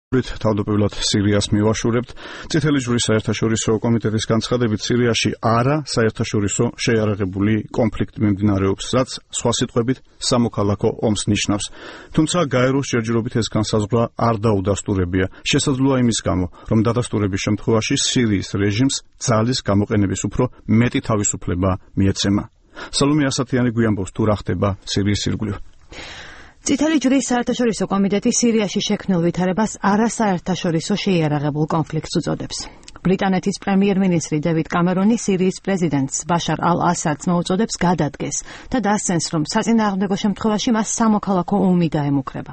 თავდაპირველად სირიას მივაშურებთ. წითელი ჯვრის საერთაშორისო კომიტეტის განცხადებით სირიაში არა საერთაშორისო შეიარაღებული კონფლიქტი მიმდინარეობს, რაც სხვა სიტყვებით სამოქალაქო ომს ნიშნავს. თუმცა გაეროს ჯერჯერობით ეს განსაზღვრა არ დაუდასტურებია. შესაძლოა იმის გამო, რომ დადასტურების შემთხვევაში სირიის რეჟიმს ძალის გამოყენების უფრო მეტი თავისუფლება მიეცემა. სალომე ასათიანი გვიამბობს თუ რა ხდება სირიის ირგვლივ. წითელი ჯვრის საერთაშორისო კომიტეტი სირიაში შექმნილ ვითარებას არასაერთაშორისო შეიარაღებულ კონფლიქტს უწოდებს. ბრიტანეთის პრემიერ-მინისტრი დევიდ კამერონი სირიის პრეზიდენტს ბაშარ ალ-ასადს მოუწოდებს გადადგეს და დასცენს, რომ საწინააღმდეგო შემთხვევაში მას სამოქალაქო ომი დაემუქრება.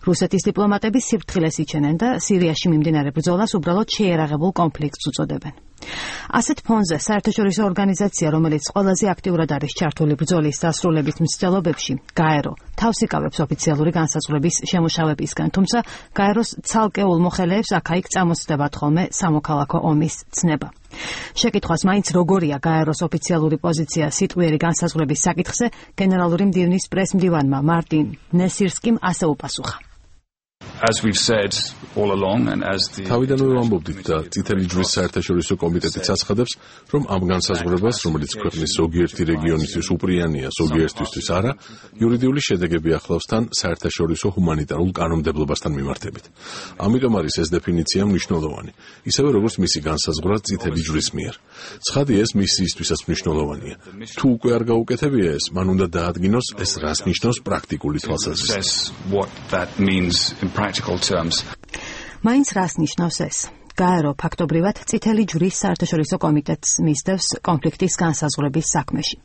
რუსეთის დიპლომატები სიფრთხილეს იჩენენ და სირიაში მიმდინარე ბრძოლას უბრალოდ შეიარაღებულ კონფლიქტს უწოდებენ. ასეთ ფონზე საერთაშორისო ორგანიზაცია, რომელიც ყველაზე აქტიურად არის ჩართული ბრძოლის დასრულების მცდელობებში, გაერო, თავს იკავებს ოფიციალური განსაზღვრების შემუშავებისგან, თუმცა გაეროს ცალკეულ მოხელეებს აქა-იქ წამოსწდებათ ხოლმე სამოქალაქო ომის ცნება. შეკითხვას მაინც როგორია გაეროს ოფიციალური პოზიცია სიტყვიერი განსაზღვრების საკითხზე, გენერალური მდივნის პრესმდივანმა მარტინ ნესირსკიმ ასე უპასუხა. თავიდანვე ვამბობდით და წითელი ჯვრის საერთაშორისო კომიტეტიც აცხადებს, რომ ამ განსაზღვრებას, რომელიც ქვეყნის ზოგიერთი რეგიონისთვის უპრიანია, ზოგიერთისთვის არა, იურიდიული შედეგები ახლავს თან საერთაშორისო ჰუმანიტარულ კანონმდებლობასთან მიმართებით. ამიტომ არის ეს დეფინიცია მნიშვნელოვანი, ისევე როგორც მისი განსაზღვრა წითელი ჯვრის მიერ. ცხადია, ეს მისიისთვისაც მნიშვნელოვანია. თუ უკვე არ გაუკეთებია ეს, მან უნდა დაადგინოს ეს რას ნიშნავს პრაქტიკული თვალსაზრისით. მაინც რას ნიშნავს ეს? გაერო ფაქტობრივად წითელი ჯვრის საერთაშორისო კომიტეტს მისდევს კონფლიქტის განსაზღვრების საქმეში.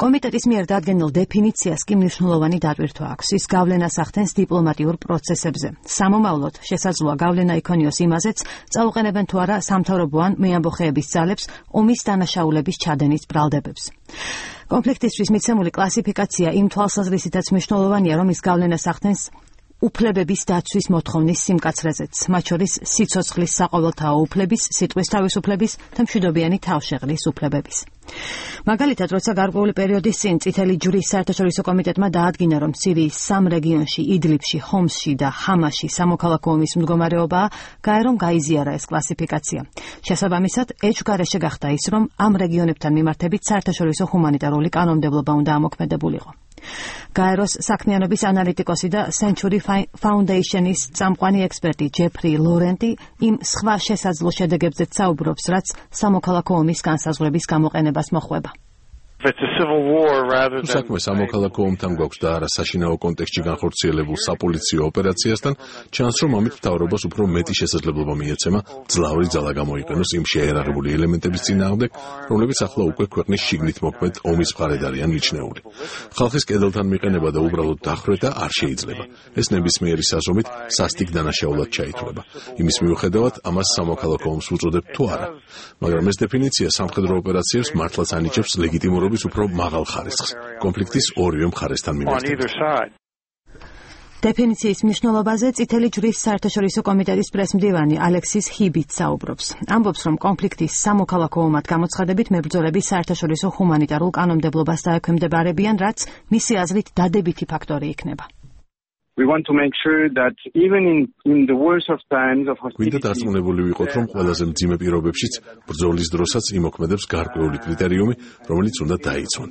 კომიტეტის მიერ დადგენილ დეფინიციას კი მნიშვნელოვანი დატვირთვა აქვს. ის გავლენას ახდენს დიპლომატიურ პროცესებზე. სამომავლოდ შესაძლოა გავლენა იქონიოს იმაზეც, წაუყენებენ თუ არა სამთავრობო ან მეამბოხეების ძალებს ომის დანაშაულების ჩადენის ბრალდებებს. კონფლიქტისთვის მიცემული კლასიფიკაცია იმ თვალსაზრისითაც მნიშვნელოვანია, რომ ის გავლენას ახდენს უფლებების დაცვის მოთხოვნის სიმკაცრეზეც, მათ შორის სიცოცხლის საყოველთაო უფლების, სიტყვის თავისუფლების და მშვიდობიანი თავშეღრის უფლებების. მაგალითად, როცა გარკვეული პერიოდის წინ წითელი ჯვრის საერთაშორისო კომიტეტმა დაადგინა, რომ სირიის 3 რეგიონში, იდლიბში, ხომსში და ჰამაში სამოქალაქო ომის მდგომარეობაა, გაერომ გაიზიარა ეს კლასიფიკაცია. შესაბამისად, ეჭვგარეშე გახდა ის, რომ ამ რეგიონებთან მიმართებით საერთაშორისო ჰუმანიტარული კანონმდებლობა უნდა ამოქმედებულიყო. გაეროს საქმიანობის ანალიტიკოსი და Century Foundation-ის წამყვანი ექსპერტი ჯეფრი ლორენტი იმ სხვა შესაძლო შედეგებზეც საუბრობს, რაც სამოქალაქო ომის განსაზღვრების გამოყენებას მოჰყვება. საქმე სამოქალაქო ომთან გვაქვს და არა საშინაო კონტექსტში განხორციელებულ საპოლიციო ოპერაციასთან, ჩანს, რომ ამით მთავრობას უფრო მეტი შესაძლებლობა მიეცემა ძლავრი ძალა გამოიყენოს იმ შეიარაღებული ელემენტების წინააღმდეგ, რომლებიც ახლა უკვე ქვეყნის შიგნით მოქმედ ომის მხარედ არიან მიჩნეული. ხალხის კედელთან მიყენება და უბრალოდ დახვრეტა არ შეიძლება. ეს ნებისმიერი საზომით სასტიკ დანაშაულად ჩაითვლება. იმის მიუხედავად, ამას სამოქალაქო ომს უწოდებთ თუ არა. მაგრამ ეს დეფინიცია სამხედრო ოპერაციებს მართლაც ანიჭებს ლეგიტიმურობის უფრო მაღალ ხარისხს, კონფლიქტის ორივე მხარესთან მიმართებით. დეფინიციის მნიშვნელობაზე წითელი ჯვრის საერთაშორისო კომიტეტის პრესმდივანი ალექსის ჰიბიც საუბრობს. ამბობს, რომ კონფლიქტის სამოქალაქო ომად გამოცხადებით მებრძოლები საერთაშორისო ჰუმანიტარულ კანონმდებლობას დაექვემდებარებიან, რაც მისი აზრით დადებითი ფაქტორი იქნება. გვინდა დარწმუნებული ვიყოთ, რომ ყველაზე მძიმე პირობებშიც ბრძოლის დროსაც იმოქმედებს გარკვეული კრიტერიუმი, რომელიც უნდა დაიცვან.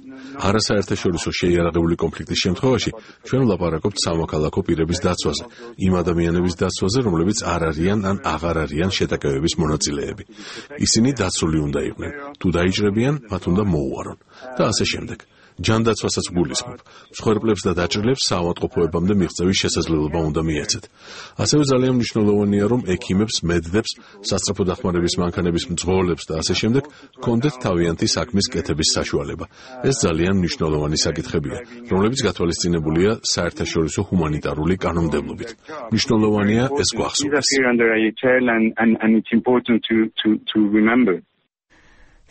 არასაერთაშორისო შეიარაღებული კონფლიქტის შემთხვევაში ჩვენ ვლაპარაკობთ სამოქალაქო პირების დაცვაზე, იმ ადამიანების დაცვაზე, რომლებიც არ არიან ან აღარ არიან შეტაკებების მონაწილეები. ისინი დაცული უნდა იყვნენ. თუ დაიჭრებიან, მათ უნდა მოუარონ და ასე შემდეგ. ჯანდაცვასაც გულისხმობ. მსხვერპლებს და დაჭრილებს საავადმყოფოებამდე მიღწევის შესაძლებლობა უნდა მიეცეთ. ასევე ძალიან მნიშვნელოვანია, რომ ექიმებს, მედლებს, სასწრაფო დახმარების მანქანების მძღოლებს და ასე შემდეგ ჰქონდეთ თავიანთი საქმის კეთების საშუალება. ეს ძალიან მნიშვნელოვანი საკითხებია, რომლებიც გათვალისწინებულია საერთაშორისო ჰუმანიტარული კანონმდებლობით. მნიშვნელოვანია ეს გვახსოვდეს.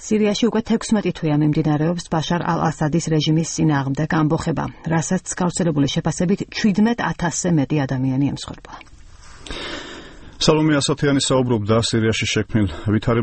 სირიაში უკვე 16 თვეა მიმდინარეობს ბაშარ ალ-ასადის რეჟიმის წინააღმდეგ ამბოხება, რასაც გავრცელებული შეფასებით 17,000-ზე მეტი ადამიანი ემსხვერპლა. სალომე ასათიანი საუბრობდა სირიაში შექმნილ ვითარებაზე.